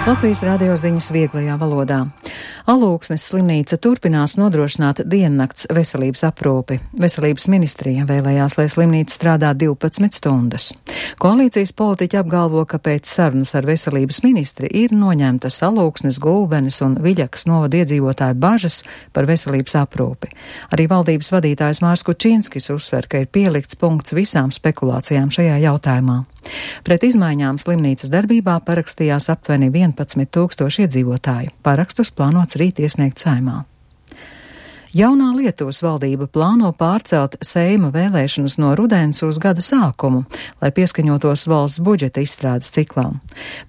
Latvijas radio ziņas vieglajā valodā. Alūksnes slimnīca turpinās nodrošināt diennakts veselības aprūpi. Veselības ministrija vēlējās, lai slimnīca strādā 12 stundas. Koalīcijas politiķi apgalvo, ka pēc sarunas ar veselības ministri ir noņemtas Alūksnes, Gulbenes un Viļakas novada iedzīvotāju bažas par veselības aprūpi. Arī valdības vadītājs Mārs Kučinskis uzsver, ka ir pielikts punkts visām spekulācijām šajā jautājumā. Pret izmaiņām slimnīcas darbībā parakstījās aptuveni 11 000 iedzīvotāju. Parakstus plānots rīt iesniegt Saeimā. Jaunā Lietuvas valdība plāno pārcelt Seima vēlēšanas no rudens uz gada sākumu, lai pieskaņotos valsts budžeta izstrādes ciklām.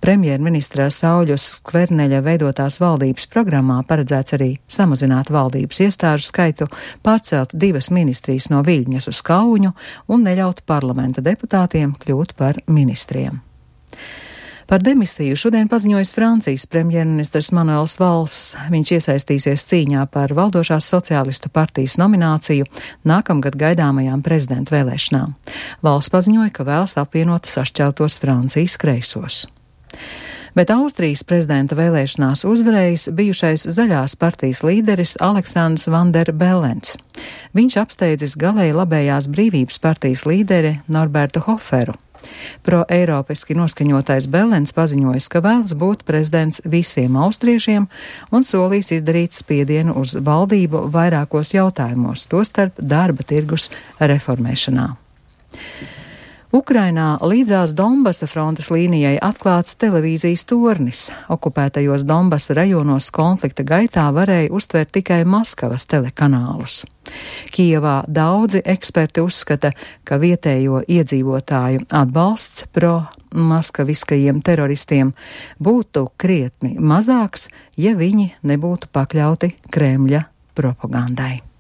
Premjerministra Sauļus Skverneļa veidotās valdības programmā paredzēts arī samazināt valdības iestāžu skaitu, pārcelt 2 ministrijas no Viļņas uz Kauņu un neļaut parlamenta deputātiem kļūt par ministriem. Par demisiju šodien paziņojas Francijas premjerministrs Manuels Valls. Viņš iesaistīsies cīņā par valdošās sociālistu partijas nomināciju nākamgad gaidāmajām prezidenta vēlēšanām. Valls paziņoja, ka vēlas apvienot sašķeltos Francijas kreisos. Bet Austrijas prezidenta vēlēšanās uzvarējis bijušais zaļās partijas līderis Aleksandrs Van der Bellens. Viņš apsteidzis galēji labējās brīvības partijas līderi Norbertu Hoferu. Pro-eiropiski noskaņotais Bellens paziņojas, ka vēlas būt prezidents visiem austriešiem un solīs izdarīt spiedienu uz valdību vairākos jautājumos, tostarp darba tirgus reformēšanā. Ukrainā līdzās Donbasa frontes līnijai atklāts televīzijas tornis. Okupētajos Donbasa rajonos konflikta gaitā varēja uztvert tikai Maskavas telekanālus. Kijevā daudzi eksperti uzskata, ka vietējo iedzīvotāju atbalsts pro-maskaviskajiem teroristiem būtu krietni mazāks, ja viņi nebūtu pakļauti Kremļa propagandai.